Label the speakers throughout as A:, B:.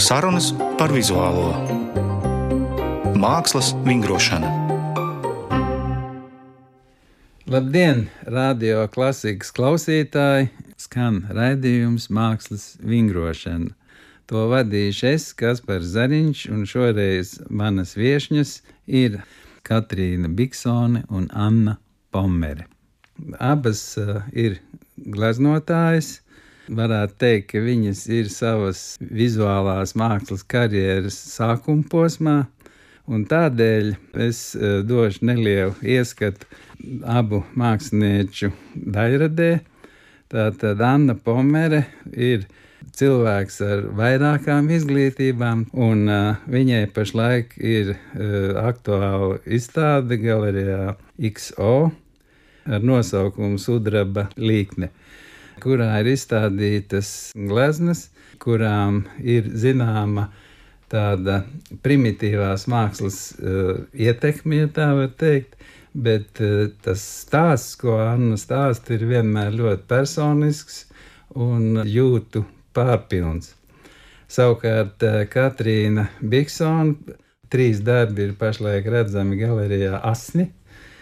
A: Sarunas par vizuālo mākslas vingrošanu.
B: Labdien, radio klasikas klausītāji! Skan raidījums Mākslas vingrošana. To vadīšu es, Kaspars Zariņš, un šoreiz manas viešņas ir Katrīna Biksone un Anna Pommere. Abas ir gleznotājas. Varētu teikt, ka viņas ir savas vizuālās mākslas karjeras sākuma posmā, un tādēļ es došu nelielu ieskatu abu mākslinieču daļradē. Tātad Anna Pommere ir cilvēks ar vairākām izglītībām, un viņai pašlaik ir aktuāla izstāde galerijā XO ar nosaukumu Sudraba līkne, kurā ir izstādītas gleznas, kurām ir zināma tāda primitīvās mākslas ietekme, ja tā var teikt, bet tas stāsts, ko Anna stāsta, ir vienmēr ļoti personisks un jūtu pārpilns. Savukārt Katrīna Biksone 3 darbi ir pašlaik redzami galerijā Asni.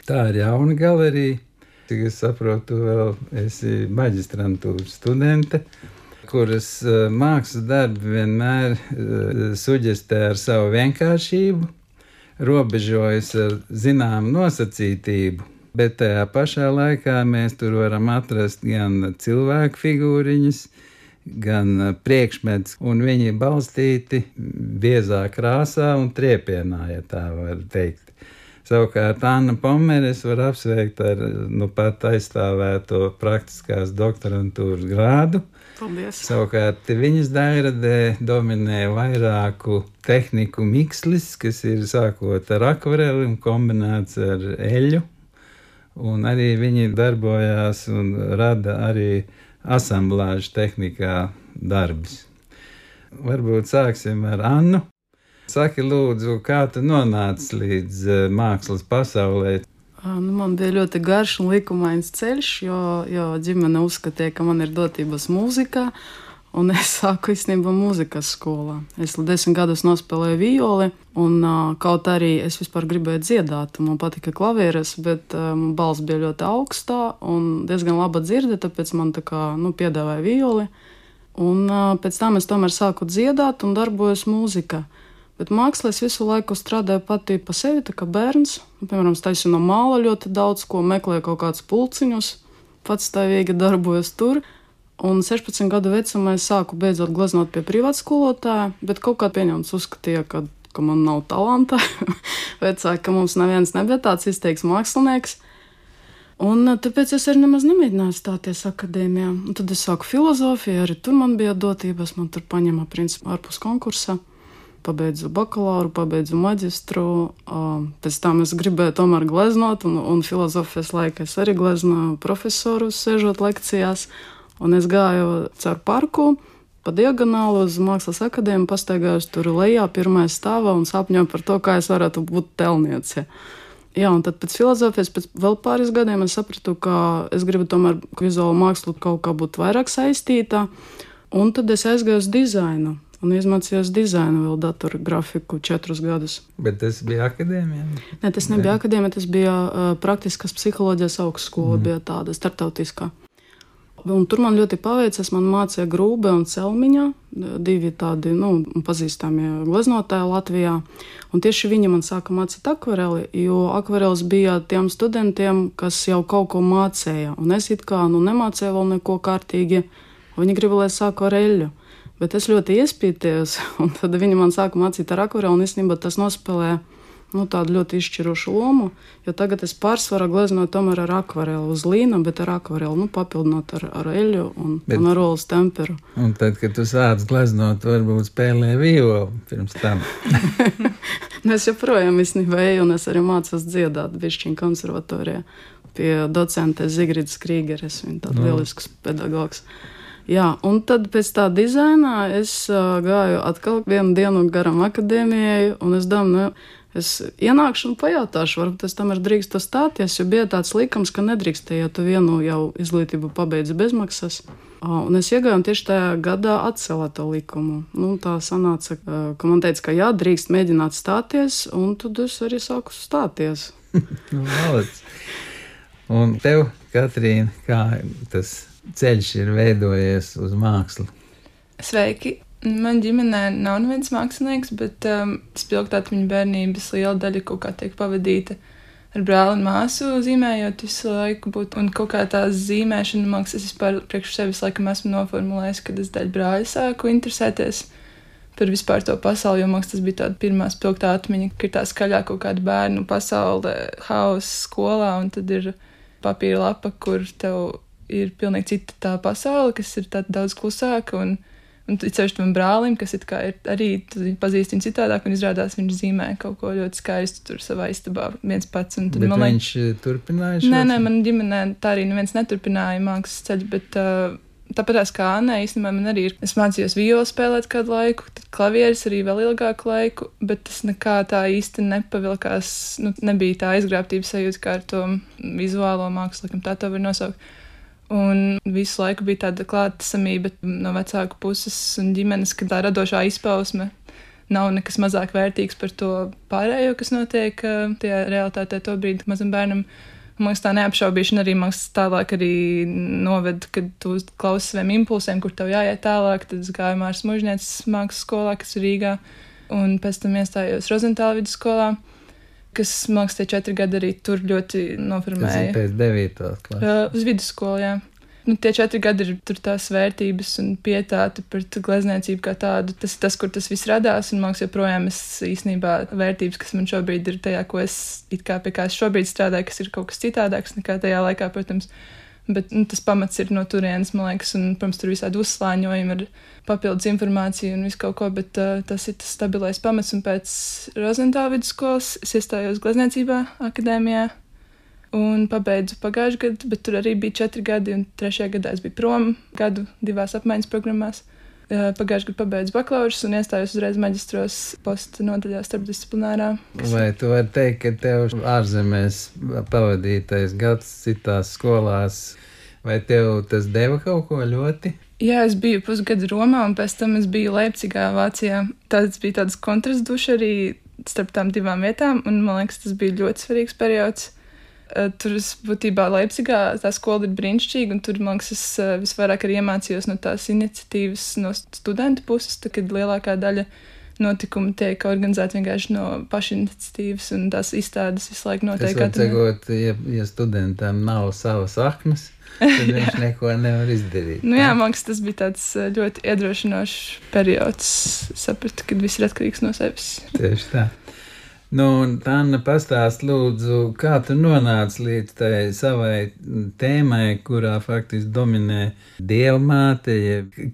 B: Tā ir jauna galerija. Cik es saprotu, vēl esi maģistrantūras studente, kuras mākslas darbi vienmēr suģestē ar savu vienkāršību, robežojas ar zināmu nosacītību, bet tajā pašā laikā mēs tur varam atrast gan cilvēku figūriņas, gan priekšmets, un viņi balstīti biezā krāsā un triepienā, ja tā var teikt. Savukārt Anna Pommere var apsveikt ar pat aizstāvēto praktiskās doktorantūras grādu.
C: Paldies.
B: Savukārt viņas daļradē dominē vairāku tehniku mikslis, kas ir sākot ar akvareli un kombinēts ar eļu. Un arī viņi darbojās un rada arī asamblāžu tehnikā darbus. Varbūt sāksim ar Annu. Saki, lūdzu, kā tu nonāci līdz mākslas pasaulē?
C: Man bija ļoti garš un likumains ceļš, jo ģimene uzskatīja, ka man ir dotības mūzikā, un es sāku īstenībā mūzikas skolā. Es 10 gadus nospēlēju violi, un kaut arī es vispār gribēju dziedāt, man patika klavieres, bet man balss bija ļoti augstā un diezgan laba dzirde, tāpēc man piedāvāja violi. Un pēc tam es tomēr sāku dziedāt un darbojos mūzikā. Bet mākslā es visu laiku strādāju pati pa sevi, tā kā bērns. Piemēram, es taisu no māla ļoti daudz ko, meklēju kaut kādus pulciņus, patstāvīgi darbojos tur. Un 16 gadu vecumā es sāku beidzot gleznot pie privātskolotāja, bet kaut kā pieņemts uzskatīja, ka man nav talanta. Vecāki, ka mums neviens nebija tāds izteiks mākslinieks. Un tāpēc es arī nemaz nemēģināju stāties akadēmijā. Un tad es sāku filozofiju, arī tur man bija dotības, man tur paņēma principā ārpus konkursa. Pabeidzu bakalauru, pabeidzu maģistru, pēc tam es gribēju tomēr gleznot, un filozofijas laikā es arī gleznoju profesorus, sēžot lekcijās, un es gāju caur parku, pa diagonālu uz Mākslas akadēmiju, pastaigājos tur lejā, pirmajā stāvā un sapņoju par to, kā es varētu būt telniece. Jā, un tad pēc filozofijas, pēc vēl pāris gadiem es sapratu, ka es gribu tomēr vizuālu mākslu kaut kā būt vairāk saistītā, un tad es aizgāju uz dizainu. Un izmācījos dizainu vēl datorgrafiku 4 gadus.
B: Bet tas bija akadēmijā?
C: Nē, tas nebija akadēmija, tas bija praktiskas psiholoģijas augstskola, bija tāda starptautiskā. Un tur man ļoti paveicas, man mācīja Grūbe un Celmiņa, 2 tādi, pazīstamie gleznotāji Latvijā. Un tieši viņi man sāka mācīt akvareli, jo akvarelis bija tiem studentiem, kas jau kaut ko mācīja. Un es it kā nemācīju vēl neko kārtīgi, un viņi gribēja, lai es sāku ar eļļu. Bet es ļoti iespītējos, un tad viņi man sāka mācīt ar akvareli, un īstenībā tas nospēlēja tādu ļoti izšķirošu lomu, jo tagad es pārsvarā gleznoju tomēr ar akvareli uz līna, bet ar akvareli, papildinot ar eļļu un ar olas temperu.
B: Un tad, kad tu sāc gleznot, varbūt spēlē violi pirms tam.
C: Es joprojām īstenībā eju, un es arī mācos dziedāt bišķiņu konservatorijā pie docentes Zigridas Krīgeres, viņa tāda lielisks pedagogs. Jā, un tad pēc tā dizainā es gāju atkal vienu dienu garam akadēmijai, un es domāju, es ienākšu un pajautāšu, varbūt es tam ir drīkstu stāties, jo bija tāds likums, ka nedrīkstēja, ja tu vienu jau izglītību pabeidzi bezmaksas. Un es iegāju un tieši tajā gadā atcēlā to likumu. Tā sanāca, ka man teica, ka jā, drīkst mēģināt stāties, un tad es arī sāku stāties.
B: Malac. Un tev, Katrīna, kā tas ceļš ir veidojies uz mākslu?
D: Sveiki! Man ģimenē nav neviens mākslinieks, bet spilgtāt viņa bērnības liela daļa kaut kā tiek pavadīta ar brāli un māsu zīmējot visu laiku būt. Un kaut kā tā zīmēšana, mākslas, es vispār priekš sevis laikam esmu noformulējis, kad es daļu brāļa sāku interesēties par vispār to pasauli, jo mākslas tas bija tāda pirmā spilgtā atmiņa, ka ir tā skaļā kaut kāda bērnu pasaule, hauss skolā, un tad ir papīra lapa, kur tev ir pilnīgi cita tā pasaule, kas ir tāda daudz klusāka, un ceļš tam brālim, kas ir arī pazīst viņu citādāk, un izrādās viņš zīmē kaut ko ļoti skaistu tur savā istabā viens pats. Un tad,
B: bet viņš turpināja šo?
D: Nē, man ģimenē tā arī neviens neturpināja mākslas ceļu, bet tāpatās kā Annai, īstenībā man arī ir. Es mācījos violu spēlēt kādu laiku, tad klavieres arī vēl ilgāku laiku, bet tas nekā tā īsti nepavilkās, nebija tā aizgrābtības sajūta kā ar to vizuālo mākslu, laikam tā to var nosaukt. Un visu laiku bija tāda klātesamība no vecāku puses un ģimenes, ka tā radošā izpausme nav nekas mazāk vērtīgs par to pārējo, kas notiek tajā realitātē to brīdi mazam bērnam. Man liekas, tā neapšaubīšana arī tālāk arī noved, kad tu klausi saviem impulsiem, kur tev jāiet tālāk. Tad es gāju Māras Mužnieces mākslas skolā, kas ir Rīgā, un pēc tam iestājos Rozentāla vidusskolā, kas, man liekas, tie 4 gadi arī tur ļoti noformēja.
B: Tas ir pēc 9. klases.
D: Uz vidusskolu, jā. Tie 4 gadi ir tur tās vērtības un pietāte pret glezniecību kā tādu. Tas ir tas, kur tas viss radās, un, man liekas, joprojām es īstenībā vērtības, kas man šobrīd ir tajā, ko es pie kā es šobrīd strādāju, kas ir kaut kas citādāks nekā tajā laikā, protams. Bet tas pamats ir no turienes, man liekas, un, protams, tur visādi uzslāņojumi ar papildus informāciju un visu kaut ko, bet tas ir tas stabilais pamats, un pēc Rozentāla vidusskolas es iestājos glezniecībā akadēmijā un pabeidzu pagājušajā gadā, bet tur arī bija 4 gadi, un 3. gadā es biju prom gadu 2 apmaiņas programmās. Pagājušajā gadā pabeidzu bakalaurus un iestājos uzreiz maģistros posta nodaļā starpdisciplinārā.
B: Vai tu vari teikt, ka tev ārzemēs pavadītais gads citās skolās, vai tev tas deva kaut ko ļoti?
D: Jā, es biju pusgadu Romā, un pēc tam es biju Leipcigā, Vācijā. Tas bija tāds kontrasts duši arī starp tām 2 vietām, un man liekas, tas bija ļoti svarīgs periods. Tur būtībā Leipcigā tā skola ir brīnišķīga, un tur, man liekas, es visvairāk arī iemācījos no tās iniciatīvas no studentu puses, tā, kad lielākā daļa notikumi tiek organizēti vienkārši no pašiniciatīvas, un tās izstādes visu laiku notiek.
B: Tas var sakot, ja studentam nav savas saknes, tad viņš neko nevar izdarīt.
D: Jā, man liekas, tas bija tāds ļoti iedrošinošs periods. Sapratu, kad viss ir atkarīgs no sevis.
B: Tieši tā. Anna, pastāst lūdzu, kā tu nonāci līdz tai savai tēmai, kurā faktiski dominē Dievmāte,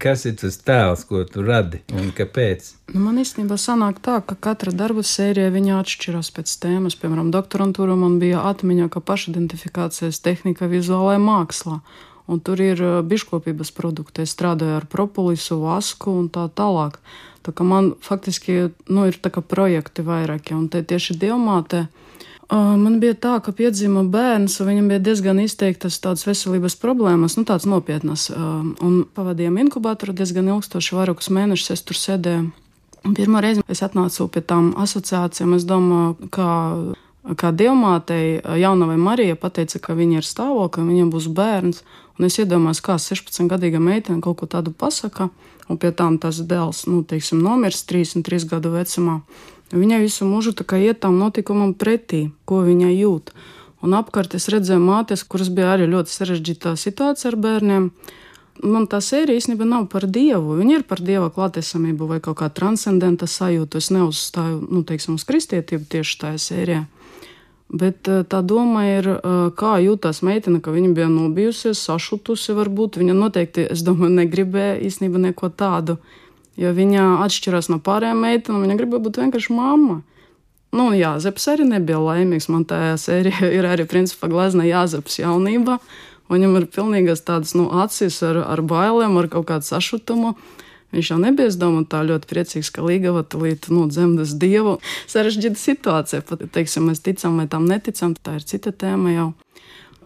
B: kas ir tas tēls, ko tu radi un kāpēc?
C: Man īstenībā sanāk tā, ka katra darba sērija viņa atšķiras pēc tēmas. Piemēram, doktorantūra man bija atmiņa, ka pašidentifikācijas tehnika vizuālajā mākslā. Un tur ir biškopības produkti. Es strādāju ar propolisu, vasku un tā tālāk. Tā kā man faktiski ir tā kā projekti vairāki. Un te tieši Dievmāte man bija tā, ka piedzima bērns, un viņam bija diezgan izteiktas tādas veselības problēmas, tādas nopietnas. Un pavadījām inkubatoru diezgan ilgstoši, vairākus mēnešus es tur sēdēju. Un pirmo reizi es atnācu pie tām asociācijām. Es domāju, kā Dievmātei jaunavai Marija pateica, ka viņa ir stāvokļa, viņam būs bērns. Un es iedomājos, kā 16-gadīga meitene kaut ko tādu pasaka, un pie tām tas dēls, nomirs 33 gadu vecumā. Viņai visu mūžu tā kā iet tam notikumam pretī, ko viņa jūt. Un apkārt es redzēju mātes, kuras bija arī ļoti sarežģītā situācija ar bērniem. Man tā sērija īstenībā nav par Dievu. Viņa ir par Dieva klātesamību vai kaut kā transcendenta sajūtu. Es neuzstāju, uz kristietību tieši tajā sērijā. Bet tā doma ir, kā jūtās meitene, ka viņa bija nobijusies, sašutusi varbūt. Viņa noteikti, es domāju, negribēja īstenībā neko tādu, jo viņa atšķirās no pārējām meitenēm, viņa gribēja būt vienkārši mamma. Jāzeps arī nebija laimīgs. Man tajā sērijā ir arī principā glezna Jāzeps jaunībā. Viņam ir pilnīgas tādas acis ar bailēm, ar kaut kādu sašutumu. Viņš jau nebija, es domāju, tā ļoti priecīgs, ka Līgava tulīt dzemdas Dievu. Sarežģīta situācija, pat, mēs ticam vai tam neticam, tā ir cita tēma jau.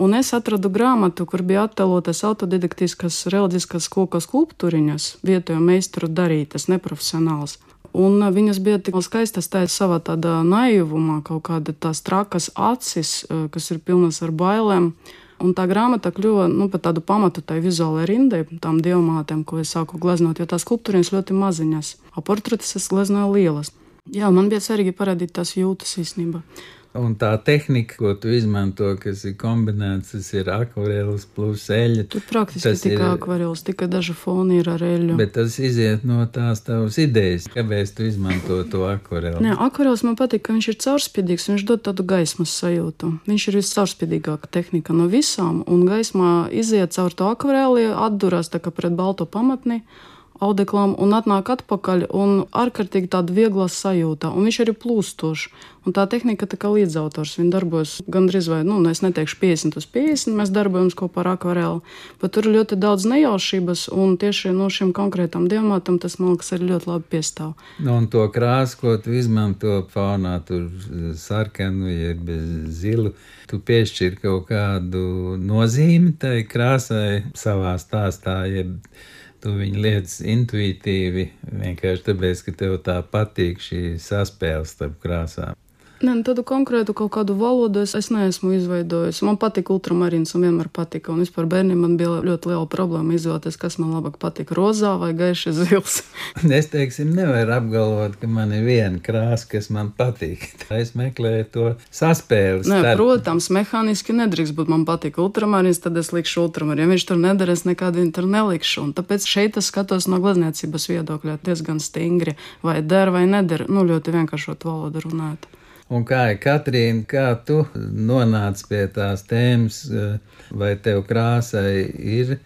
C: Un es atradu grāmatu, kur bija attēlotas autodidaktiskas reliģiskas koku skulptūriņas, vietējo meistaru darītas, neprofesionāls. Un viņas bija tik skaistas tā savā tādā naivumā, kaut kāda tās trakas acis, kas ir pilnas ar bailēm. Un tā grāmata kļuva par tādu pamatu tai vizuālajai rindai, tām diamātēm, ko es sāku gleznot, jo tās skulptūriņas ļoti maziņas, a portretes es gleznoju lielas. Jā, man bija svarīgi parādīt tās jūtas īstenībā.
B: Un tā tehnika, ko tu izmanto, kas ir kombinēts, tas ir akvarels plus eļļa.
C: Tur praktiski tikai akvarels, tikai daži foni ir ar eļļu.
B: Bet tas iziet no tās tavas idejas. Kāpēc tu izmanto to akvarelu?
C: Nē, akvarels man patīk, ka viņš ir caurspīdīgs, viņš dod tādu gaismas sajūtu. Viņš ir viscaurspīdīgāka tehnika no visām, un gaismā iziet caur to akvareli, atdurās tā kā pret balto pamatni, audeklām un atnāk atpakaļ un ārkārtīgi tāda viegla sajūta. Un viņš arī plūstošs. Un tā tehnika tā kā līdzautors. Viņa darbojas gandrīz vai, es neteikšu 50/50, mēs darbojamies kopā ar akvareli. Bet tur ir ļoti daudz nejaušības un tieši no šim konkrētam diamātam tas, man liekas, arī ļoti labi piestāv.
B: Un to krāsu, ko tu izmanto faunā, tur sarkanu, jeb zilu, tu piešķir kaut kādu nozīmi tai krāsai savā stāstā, jeb tu viņu lietas intuitīvi, vienkārši tāpēc, ka tev tā patīk šī saspēle starp krāsām.
C: Nē, tādu konkrētu kaut kādu valodu es neesmu izveidojis. Man patīk ultramarīns un vienmēr patika. Un vispār bērniem man bija ļoti liela problēma izvēlēties, kas man labāk patīk, rozā vai gaiši zils.
B: Es, nevaru apgalvot, ka man ir viena krāsa, kas man patīk. Es meklēju to saspēli.
C: Nē, protams, mehāniski nedrīkst būt man patīk ultramarīns, tad es likšu ultramarīnu. Ja viņš tur nedarēs, nekādu viņu tur nelikšu. Un tāpēc šeit es skatos no glezniecības viedokļa diezgan stingri. Vai der vai neder, ļoti vienkāršot valodu runāt.
B: Un kā ir, Katrīna, kā tu nonāc pie tās tēmas, vai tev krāsai ir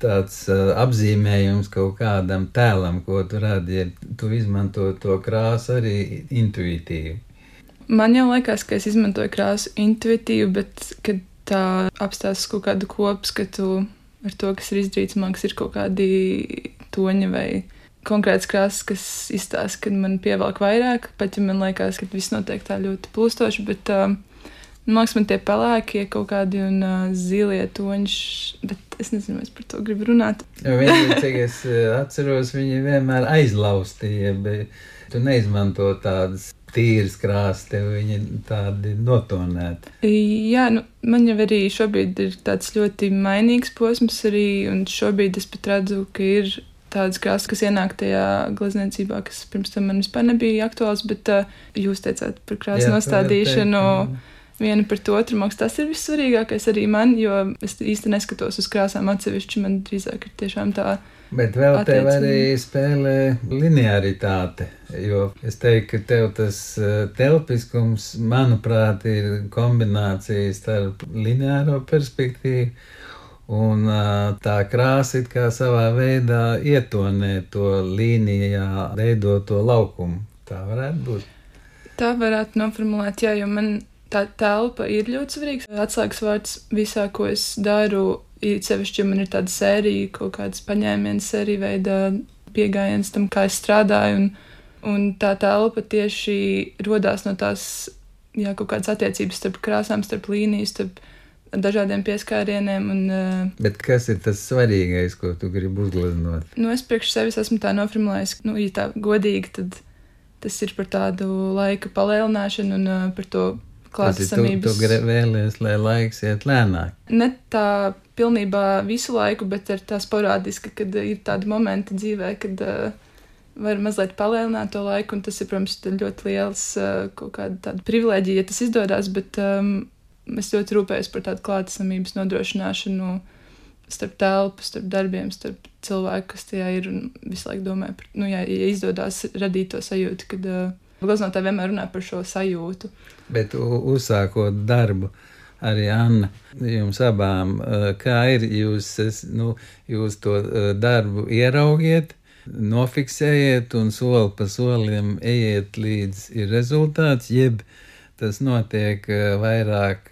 B: tāds apzīmējums kaut kādam tēlam, ko tu radi, ja tu izmanto to krāsu arī intuitīvi?
D: Man jau liekas, ka es izmantoju krāsu intuitīvi, bet, kad tā apstāstas kaut kādu kopskatu ar to, kas ir izdarīts, man liekas, ir kaut kādi toņi vai konkrēts krāsas, kas izstāsta, kad man pievelk vairāk, pat ja man liekas, ka viss notiek tā ļoti plūstoši, bet man liekas, man tie pelēkie kaut kādi un zilie toņš, bet es nezinu, es par to gribu runāt.
B: Viņi, cik es atceros, viņi vienmēr aizlaustīja, bet tu neizmanto tādas tīras krāsas, tev viņi tādi notonēti.
D: Jā, man jau arī šobrīd ir tāds ļoti mainīgs posms arī, un šobrīd es pat redzu, ka ir tādas krāsas, kas ienāk tajā glezniecībā, kas pirms tam man vispār nebija aktuāls, bet jūs teicāt par krāsu nostādīšanu vienu pret otru. Man liekas, tas ir vissvarīgākais arī man, jo es īsti neskatos uz krāsām atsevišķi, man drīzāk ir tiešām tā.
B: Bet vēl tev arī spēlē linearitāte, jo es teiktu, ka tev tas telpiskums, manuprāt, ir kombinācija starp lineāro perspektīvu, un tā krāsa it kā savā veidā ietonē to līnijā veidoto laukumu. Tā varētu būt.
D: Tā varētu noformulēt, jā, jo man tā telpa ir ļoti svarīgs. Atslēgas vārds visā, ko es daru, ir sevišķi, jo man ir tāda sērija, kaut kādas paņēmienas sērija veida piegājiens tam, kā es strādāju, un tā telpa tieši rodās no tās, kaut kādas attiecības starp krāsām, starp līnijas, starp dažādiem pieskārieniem.
B: Bet kas ir tas svarīgais, ko tu gribi uzgleznot?
D: Es priekš sevis esmu tā noformulējis, ja tā godīgi, tad tas ir par tādu laika palielināšanu un par to klātesamības.
B: Tu vēlies, lai laiks iet lēnāk?
D: Ne tā pilnībā visu laiku, bet ir tā sporādiski, kad ir tādi momenti dzīvē, kad var mazliet palielināt to laiku, un tas ir, protams, ļoti liels kaut kāda tāda privilēģija, ja tas izdodas, bet es ļoti rūpējos par tādu klātesamības nodrošināšanu starp telpu, starp darbiem, starp cilvēku, kas tajā ir, un visu laiku domāju par, ja izdodas radīt to sajūtu, kad gleznotāji vienmēr runā par šo sajūtu.
B: Bet uzsākot darbu, arī Anna, jums abām, kā ir, jūs to darbu ieraugiet, nofiksējiet un soli pa solim ejiet līdz ir rezultāts, jeb tas notiek vairāk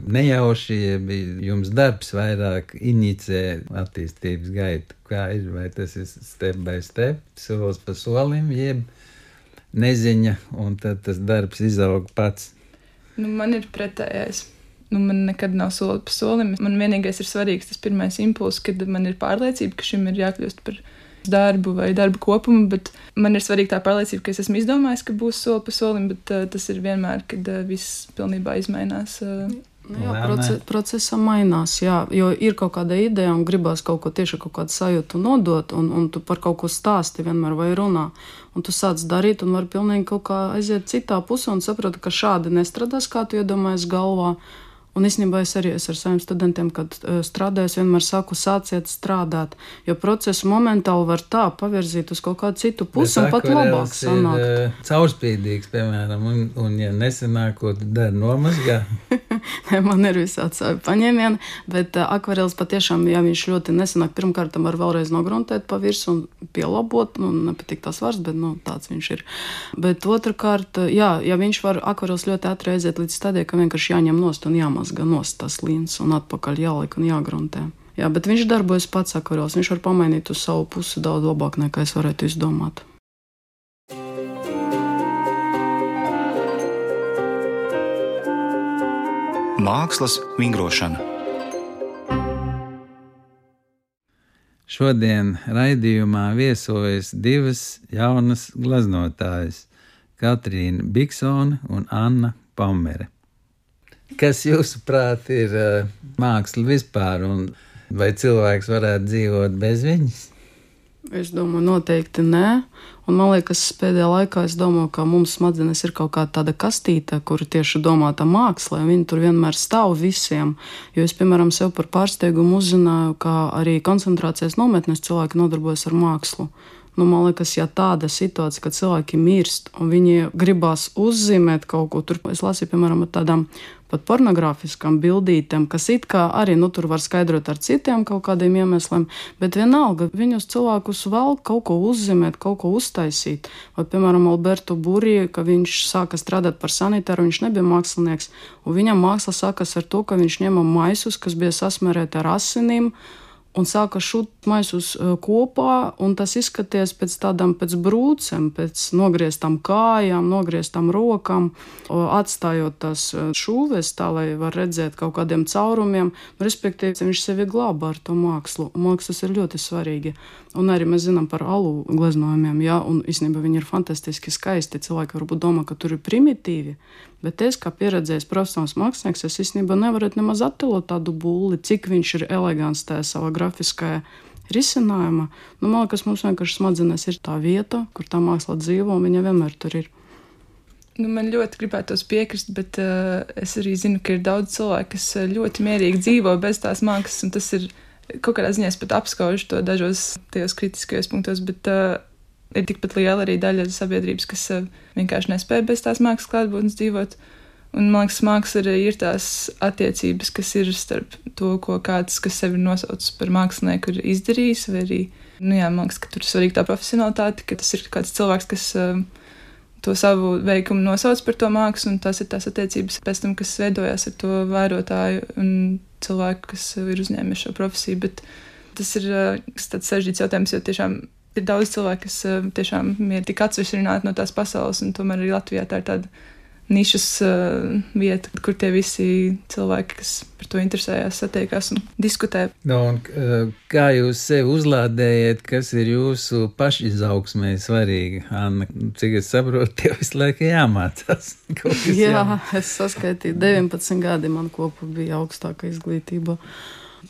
B: nejauši, jeb jums darbs vairāk inicē attīstības gaitu. Kā ir, vai tas ir step by step, solis pa solim, jeb neziņa, un tad tas darbs izaug pats?
D: Man ir pretējais. man nekad nav soli pa solim. Man vienīgais ir svarīgs tas pirmais impulss, kad man ir pārliecība, ka šim ir jākļūst par darbu vai darbu kopumu, bet man ir svarīga tā pārliecība, ka es esmu izdomājis, ka būs soli pa solim, bet tas ir vienmēr, kad viss pilnībā izmainās.
C: Procesam mainās, jā, jo ir kaut kāda ideja un gribās kaut ko tieši kaut kādu sajūtu nodot, un tu par kaut ko stāsti vienmēr vai runā, un tu sāc darīt un var pilnīgi kaut kā aiziet citā pusē un sapratu, ka šādi nestrādās, kā tu iedomājies galvā. Un īstenībā es arī ar saviem studentiem, kad strādāju, vienmēr saku, sāciet strādāt, jo procesu momentāli var tā pavirzīt uz kaut kādu citu pusi un pat labāk sanākt.
B: Caurspīdīgs, piemēram, un ja nesanāk, ko tu dari, nomazgā?
C: Man ir visādi savi paņēmieni, bet akvarels patiešām, ja viņš ļoti nesanāk, pirmkārt tam var vēlreiz nogruntēt pa virsmu un pielabot, nepatīk tās vārds, bet tāds viņš ir. Bet otrkārt, ja viņš var akvarels ļoti ātri aiziet līdz stadijai, ka vienkārši jāņem nost un jāmazga nost tas līns un atpakaļ jāliek un jāgruntē. Jā, bet viņš darbojas pats akvarels, viņš var pamainīt uz savu pusi daudz labāk, nekā es varētu izdomāt.
A: Mākslas vingrošana.
B: Šodien raidījumā viesojas divas jaunas gleznotājas – Katrīna Biksone un Anna Pammere. Kas jūsuprāt ir māksla vispār, un vai cilvēks varētu dzīvot bez viņas?
C: Es domāju, noteikti nē. Un man liekas, pēdējā laikā es domāju, ka mums smadzenes ir kaut kāda tāda kastīte, kura tieši domāta mākslē. Viņa tur vienmēr stāv visiem. Jo es, piemēram, sev par pārsteigumu uzzināju, ka arī koncentrācijas nometnes cilvēki nodarbojas ar mākslu. Man liekas, ja tāda situācija, ka cilvēki mirst un viņi gribās uzzīmēt kaut ko, tur es lasīju, piemēram, ar tādām pat pornogrāfiskām bildītēm, kas it kā arī, tur var skaidrot ar citiem kaut kādiem iemesliem, bet vienalga viņus cilvēkus vēl kaut ko uzzīmēt, kaut ko uztaisīt. Vai, piemēram, Alberto Burī, ka viņš sāka strādāt par sanitāru, viņš nebija mākslinieks, un viņam māksla sākas ar to, ka viņš ņēma maisus, kas bija sasmērēti ar asinīm, un sāka šūt maisus kopā, un tas izskaties pēc brūcēm, pēc nogrieztām kājām, nogrieztām rokām, atstājot tās šūves tā, lai var redzēt kaut kādiem caurumiem, respektīvi viņš sevi glāba ar to mākslu, un man liekas, tas ir ļoti svarīgi. Un arī mēs zinām par alu gleznojumiem, jā, un īstenībā viņi ir fantastiski skaisti, cilvēki varbūt domā, ka tur ir primitīvi, bet es, kā pieredzējis profesionāls mākslinieks, es īstenībā nevarētu nemaz attēlot tādu bulli, cik viņš ir elegants tajā savā grafiskajā risinājumā. Man liekas, mums vienkārši smadzenes ir tā vieta, kur tā māksla dzīvo, un viņa vienmēr tur ir.
D: Man ļoti gribētos piekrist, bet es arī zinu, ka ir daudz cilvēku, kas ļoti mierīgi dzīvo bez tās mākslas, un tas ir kaut kādā ziņā pat apskaužu to dažos tajos kritiskajos punktos, bet ir tikpat liela arī daļa sabiedrības, kas vienkārši nespēja bez tās mākslas klātbūtnes dzīvot. Un man liekas, māksla arī ir tās attiecības, kas ir starp to, ko kāds, kas sevi nosauc par mākslinieku, ir izdarījis, vai arī, man liekas, ka tur ir svarīga tā profesionalitāte, ka tas ir kāds cilvēks, kas to savu veikumu nosauc par to mākslu, un tas ir tās attiecības pēc tam, kas veidojās ar to vērotāju un cilvēku, kas ir uzņēmis šo profesiju, bet tas ir tāds sarežģīts jautājums, jo tiešām ir daudz cilvēku, kas tiešām ir tik atsevišķināti no tās pasaules, un tomēr arī Latvijā tā ir tāda nišas vieta, kur tie visi cilvēki, kas par to interesējās, satiekās un diskutē.
B: Un kā jūs sevi uzlādējat, kas ir jūsu pašizaugsmē svarīgi? Anna, cik es saprotu, tev visu laiku jāmācās.
C: Jā, es saskaitīju 19 gadi, man kopā bija augstāka izglītība.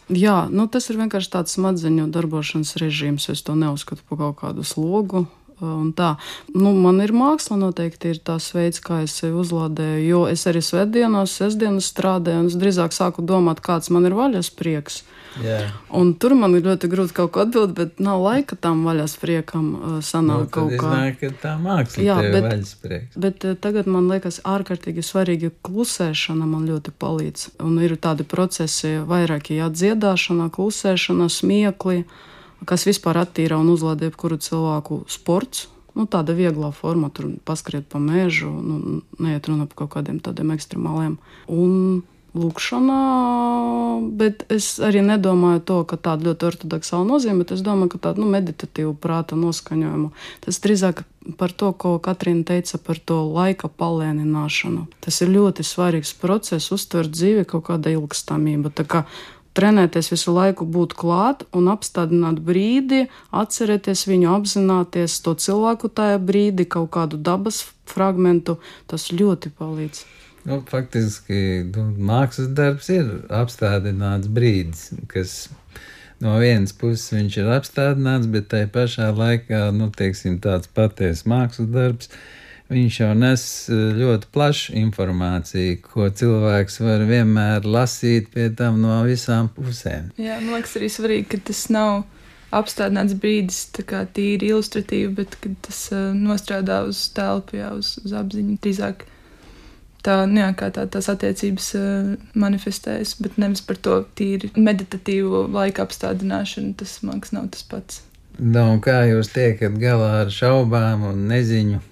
C: Jā, tas ir vienkārši tāds smadzeņu darbošanas režīms, es to neuzskatu par kaut kādu slogu. Un tā. Man ir māksla noteikti ir tās veids, kā es sevi uzlādēju, jo es arī sestdienas strādāju, un es drīzāk sāku domāt, kāds man ir vaļas prieks.
B: Yeah.
C: Un tur man ir ļoti grūti kaut ko atbildēt, bet nav laika tam vaļas priekam sanāk kaut kā.
B: Iznāk, ka tā māksla tev ir vaļas prieks.
C: Bet tagad man liekas ārkārtīgi svarīgi klusēšana man ļoti palīdz. Un ir tādi procesi vairāki, dziedāšana, klusēšana, smiekli, kas vispār attīra un uzlādē kuru cilvēku sports. Tāda vieglā forma, tur paskriet pa mežu, neiet runa par kaut kādiem tādiem ekstremāliem. Un lūkšana, bet es arī nedomāju to, ka tāda ļoti ortodoksāla nozīme, bet es domāju, ka tāda meditatīva prāta noskaņojumu. Tas drīzāk par to, ko Katrīna teica par to laika palēnināšanu. Tas ir ļoti svarīgs process, uztvert dzīvi kaut kāda ilgstamība. Tā kā trenēties visu laiku būt klāt un apstādināt brīdi, atcerēties viņu, apzināties to cilvēku tajā brīdi, kaut kādu dabas fragmentu, tas ļoti palīdz.
B: Faktiski mākslas darbs ir apstādināts brīdis, kas no vienas puses viņš ir apstādināts, bet tai pašā laikā, teiksim, tāds patiesas mākslas darbs, viņš jau nes ļoti plašu informāciju, ko cilvēks var vienmēr lasīt pie tam no visām pusēm.
D: Jā, man liekas arī svarīgi, ka tas nav apstādināts brīdis, tā kā tīri ilustratīvi, bet kad tas nostrādā uz telpu, jā, uz apziņu, drīzāk kā tās attiecības manifestējas, bet nevis par to tīri meditatīvo laika apstādināšanu, tas, man liekas, nav tas pats.
B: Un kā jūs tiekat galā ar šaubām un neziņu,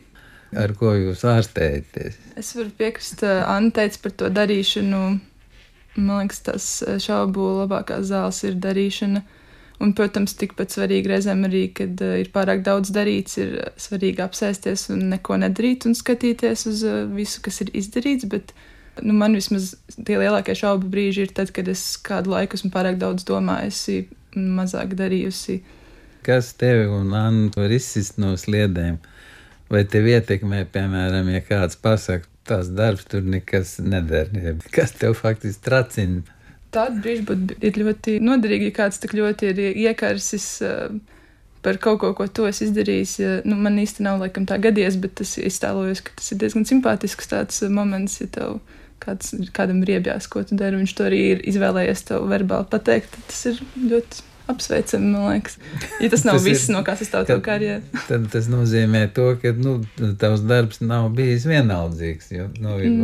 B: ar ko jūs ārstējaties?
D: Es varu piekrist, Anna teica par to darīšanu, man liekas, tas šaubu labākās zāles ir darīšana. Un, protams, tikpat svarīgi reizēm arī, kad ir pārāk daudz darīts, ir svarīgi apsēsties un neko nedarīt un skatīties uz visu, kas ir izdarīts, bet man vismaz tie lielākie šaubu brīži ir tad, kad es kādu laiku esmu pārāk daudz domājusi un mazāk darījusi.
B: Kas tevi un Annu var izsist no sliedēm? Vai tev ietekmē, piemēram, ja kāds pasaka, tās darbs tur nekas nedara? Kas tev faktiski tracina?
D: Tāda brīža ir ļoti noderīga, ja kāds tik ļoti ir iekarsis par kaut ko to es izdarījis. Man īsti nav laikam tā gadies, bet es iztēlojos, ka tas ir diezgan simpātisks tāds moments, ja tev kādam ir iebjās, ko tu dari, viņš to arī ir izvēlējies tev verbāli pateikt, tad tas ir ļoti apsveicami, man liekas. Ja tas nav viss, no kā sastāv tavu karjeru.
B: Tad tas nozīmē to, ka tavs darbs nav bijis vienaldzīgs, jo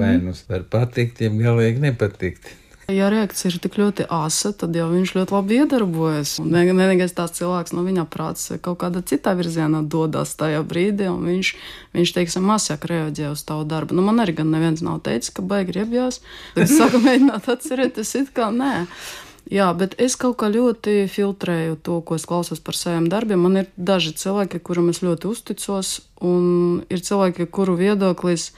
B: vai var patikt, ja galīgi nepatikt.
C: Ja reakcija ir tik ļoti asa, tad jau viņš ļoti labi iedarbojas. Vienīgais tās cilvēks no viņa prāts kaut kādā citā virzienā dodas tajā brīdī, un viņš teiksim, mazāk reaģē uz tavu darbu. Man arī gan neviens nav teicis, ka baigi riebjās. Tad es sāku mēģināt atcerēties, it kā nē. Jā, bet es kaut kā ļoti filtrēju to, ko es klausos par saviem darbiem. Man ir daži cilvēki, kuram es ļoti uzticos, un ir cilvēki, kuru viedoklis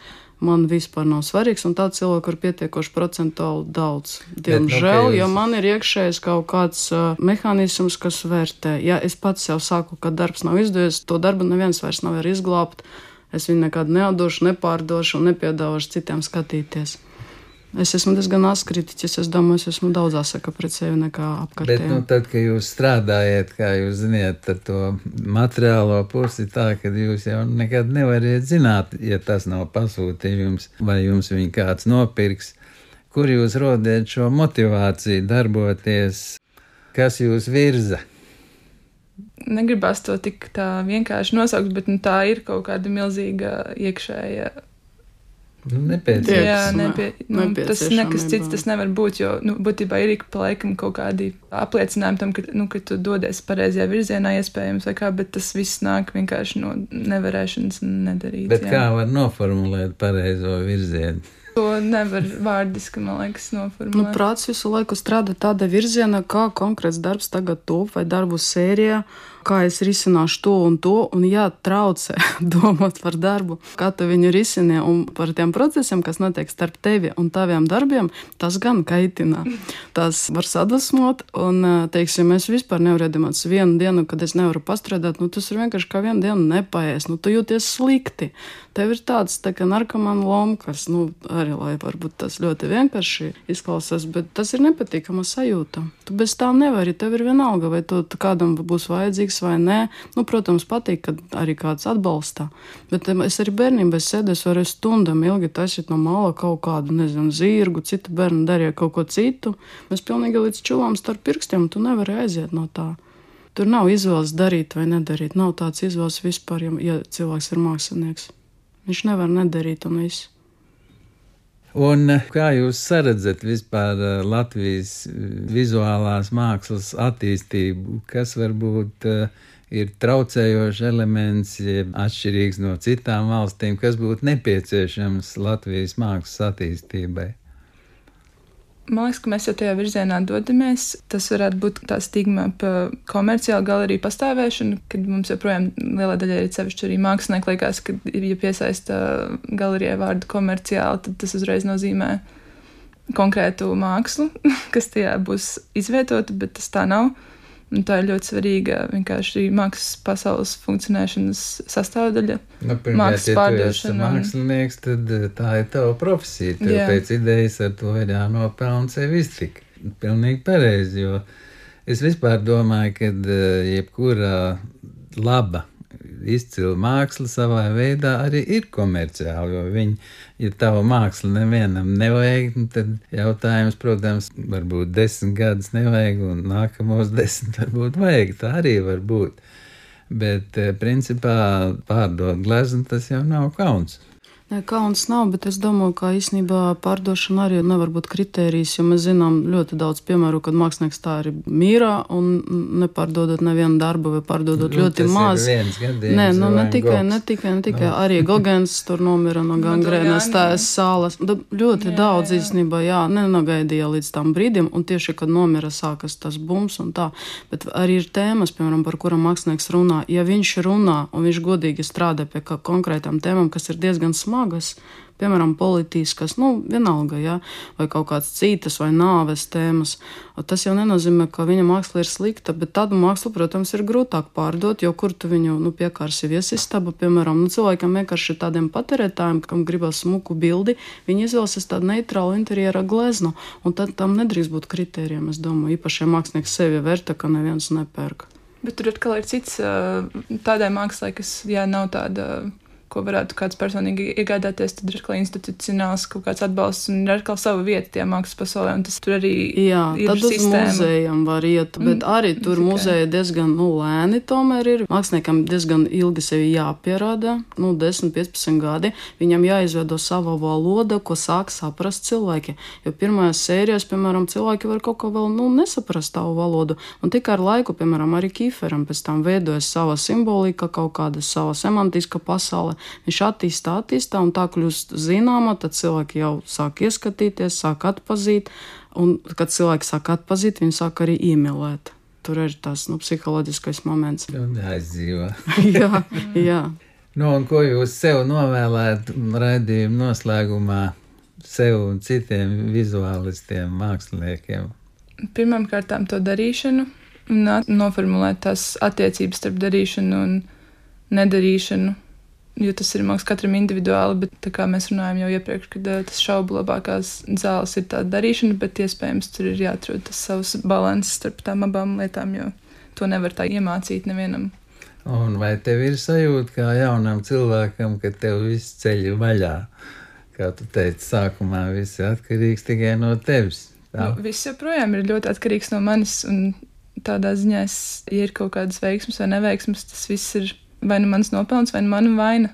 C: man vispār nav svarīgs, un tāds cilvēku ir pietiekoši procentuāli daudz. Diemžēl, jo man ir iekšējais kaut kāds mehānisms, kas vērtē. Ja es pats jau saku, ka darbs nav izdevies, to darbu neviens vairs nav var izglābt, es viņu nekad neatdošu, nepārdošu un nepiedāvāšu citiem skatīties. Es esmu diezgan askritiķis, es domāju, es esmu daudz asaka pret sevi nekā apkārtējiem.
B: Bet, tad, kad jūs strādājat, kā jūs ziniet, ar to materiālo pusi tā, ka jūs jau nekad nevariet zināt, ja tas nav pasūtījums, vai jums viņu kāds nopirks, kur jūs rodiet šo motivāciju darboties, kas jūs virza?
D: Negribas to tik tā vienkārši nosaukt, bet tā ir kaut kāda milzīga iekšēja
B: nepieciešama.
D: Tas nekas cits tas nevar būt, jo būtībā ir ik pa laikam kaut kādi apliecinājumi tam, ka tu dodies pareizajā virzienā iespējams vai kā, bet tas viss nāk vienkārši no nevarēšanas nedarīt.
B: Bet kā var noformulēt pareizo virzienu?
D: To nevar vārdiski, man liekas, noformulēt.
C: Prāts visu laiku strādā tāda virziena, kā konkrēts darbs tagad top vai darbu sērijā, kā es risināšu to, un traucē domāt par darbu, kā tu viņu risini, un par tiem procesiem, kas notiek starp tevi un taviem darbiem, tas gan kaitina. Tas var sadusmot, un, teiksim, es vispār nevaru iedomāties vienu dienu, kad es nevaru pastrādāt, tas ir vienkārši kā vienu dienu nepaies, tu jūties slikti. Tev ir tāds tā kā narkomāna lomkas, arī, lai varbūt tas ļoti vienkārši izklausās, bet tas ir nepatīkama sajūta. Tu bez tā nevari, tev ir vienalga, vai tu kādam būs vajadzīgs vai nē. Protams, patīk, kad arī kāds atbalsta, bet es arī bērnībā sēdēs varu stundam ilgi taisīt no mala kaut kādu, zirgu, citu bērnu darīja kaut ko citu. Mēs pilnīgi līdz čuvām starp pirkstiem, tu nevari aiziet no tā. Tur nav izvēles darīt vai nedarīt, nav tāds izvēles vispār, ja cilvēks ir mākslinieks. Viņš nevar nedarīt un viss.
B: Un kā jūs saredzat vispār Latvijas vizuālās mākslas attīstību? Kas varbūt ir traucējošs elements, atšķirīgs no citām valstīm, kas būtu nepieciešams Latvijas mākslas attīstībai?
D: Man liekas, ka mēs jau tajā virzienā dodamies. Tas varētu būt tā stigma pa komerciālu galeriju pastāvēšanu, kad mums joprojām lielā daļa ir sevišķi arī mākslinieki liekas, ka, ja piesaista galerijai vārdu komerciāli, tad tas uzreiz nozīmē konkrētu mākslu, kas tajā būs izvietota, bet tas tā nav. Un tā ir ļoti svarīga vienkārši mākslas pasaules funkcionēšanas sastāvdaļa.
B: Pirmkārt, ja tu esi mākslinieks, tad tā ir tava profesija. Tev pēc idejas ar to ir jānopelna sevi iztikt. Pilnīgi pareizi, jo es vispār domāju, ka jebkura laba, izcila māksla savā veidā arī ir komerciāla, jo viņi, ja tava māksla nevienam nevajag, tad jautājums, protams, varbūt 10 gadus nevajag un nākamos 10 varbūt vajag, tā arī var būt. Bet principā pārdot gleznu tas jau nav kauns.
C: Nē, kauns nav, bet es domāju, ka īstenībā pārdošana arī nevar būt kritērijs, jo mēs zinām ļoti daudz piemēru, kad mākslinieks tā arī mīra un nepārdodot nevienu darbu vai pārdodot ļoti maz. Nē, ne tikai arī Gogens tur nomira no gangrēnas tājas sālas. Ļoti daudz īstenībā, nenagaidīja līdz tam brīdim, un tieši, kad nomira sākas tas bums un tā. Bet arī ir tēmas, piemēram, par kuram mākslinieks runā. Ja viņš runā un viņš godīgi strādā pie konkrētām tēmām, kas ir diezgan smagas, piemēram, politiskas, vienalga, vai kaut kāds citas vai nāves tēmas. Tas jau nenozīmē, ka viņa māksla ir slikta, bet tādu mākslu, protams, ir grūtāk pārdot, jo kur tu viņu piekārsi viesistaba, piemēram, cilvēkam vienkārši tādiem patērētājiem, kam gribas smuku bildi, viņi izvēlsies tādu neitrālu interjera gleznu, un tad tam nedrīkst būt kritērijiem, es domāju, īpaši mākslinieks sevi vērta, ka neviens nepērk.
D: Bet tur atkal ir cits tādai mākslai, kas, nav tāda, ko varētu kāds personīgi iegādāties, tad ir atkal institucionāls kaut kāds atbalsts un ir atkal sava vieta tajā mākslas pasaulē, un tas tur arī ir
C: tad
D: sistēma.
C: Uz muzejam var iet, bet arī tur muzeja diezgan lēni tomēr ir. Māksliniekam diezgan ilgi sevi jāpierāda, 10-15 gadi. Viņam jāizveido sava valoda, ko sāk saprast cilvēki. Jo pirmajās sērijās, piemēram, cilvēki var kaut ko vēl nesaprast tavu valodu. Un tikai ar laiku, piemēram, arī Kīferam pēc tam veidojas sava simbolika, kaut kāda sava semantiska pasaule. Viņš attīstā, un tā kļūst zināma, tad cilvēki jau sāk ieskatīties, sāk atpazīt, un kad cilvēki sāk atpazīt, viņi sāk arī iemīlēt. Tur ir tas psiholoģiskais moments.
B: Aizdzīvo.
C: jā.
B: Un ko jūs sev novēlētu raidījuma noslēgumā sev un citiem vizuālistiem, māksliniekiem?
D: Pirmām kārtām to darīšanu un noformulēt tās attiecības starp darīšanu un nedarīšanu. Jo tas ir mākslinieks katram individuāli, bet tā kā mēs runājam jau iepriekš, kad tas šaubu labākās zāles ir tā darīšana, bet iespējams tur ir jāatrod tas savs balans starp tām abām lietām, jo to nevar tā iemācīt nevienam.
B: Un vai tev ir sajūta kā jaunam cilvēkam, ka tev viss ceļ vaļā? Kā tu teici, sākumā viss ir atkarīgs tikai no tevis.
D: Viss joprojām ir ļoti atkarīgs no manis, un tādā ziņā, ja ir kaut kādas veiksmes vai neveiksmes, tas viss ir vai nu mans nopelns, vai nu mana vaina.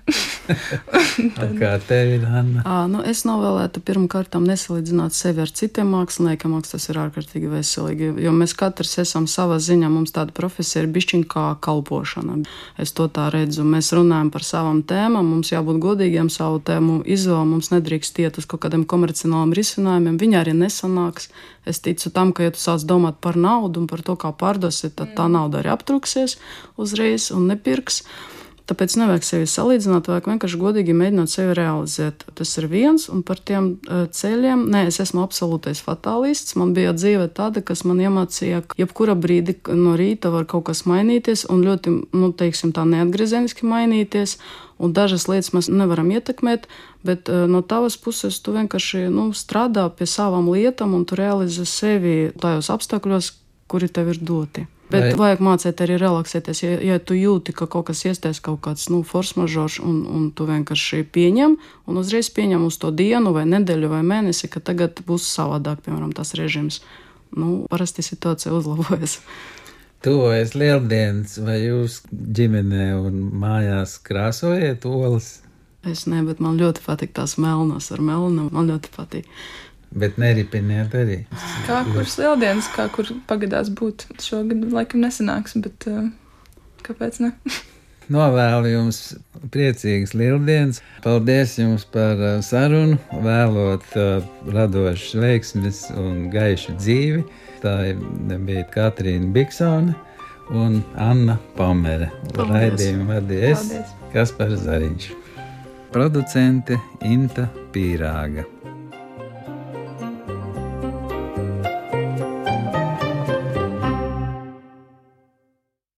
B: Kā tev ir, Anna?
C: Es novēlētu pirmkārtām nesalīdzināt sevi ar citiem māksliniekiem. Tas ir ārkārtīgi veselīgi, jo mēs katrs esam savā ziņā, mums tāda profesija ir bišķiņ kā kalpošana. Es to tā redzu. Mēs runājam par savām tēmām, mums jābūt godīgiem savu tēmu izvēlu, mums nedrīkst iet uz kaut kādiem komercionāliem risinājumiem, viņi arī nesanāks. Es ticu tam, ka ja tu sāc domāt par naudu un par to, kā pārdosi, tad tā nauda arī aptruksies uzreiz un nepirks. Tāpēc nevajag sevi salīdzināt, vajag vienkārši godīgi mēģināt sevi realizēt. Tas ir viens, un par tiem ceļiem, es esmu absolūtais fatālists. Man bija dzīve tāda, kas man iemācīja, ka jebkura brīdi no rīta var kaut kas mainīties, un ļoti, tā neatgriezeniski mainīties, un dažas lietas mēs nevaram ietekmēt, bet no tavas puses tu vienkārši strādā pie savām lietām, un tu realizē sevi tajos apstākļos, kuri tev ir doti. Bet vajag mācīt arī relaksēties, ja tu jūti, ka kaut kas iestājas kaut kāds force majeure, un tu vienkārši pieņem, un uzreiz pieņem uz to dienu vai nedēļu vai mēnesi, ka tagad būs savādāk, piemēram, tas režīms. Parasti situācija uzlabojas.
B: Tuvojas Lieldienas, vai jūs ģimenē un mājās krāsojat olas?
C: Es ne, bet man ļoti patīk tās melnas ar melnu, man ļoti patīk.
B: Bet neripiniet arī.
D: Kā kuras Lieldienas, kā kur pagadās būt. Šogad laikam nesanāks, bet kāpēc ne?
B: novēlu jums priecīgas lieldienas. Paldies jums par sarunu, vēlot radošas veiksmes un gaišu dzīvi. Tā bija Katrīna Biksone un Anna Pamere. Raidījumu vadīja es, Kaspars Zariņš. Producente Inta Pīrāga.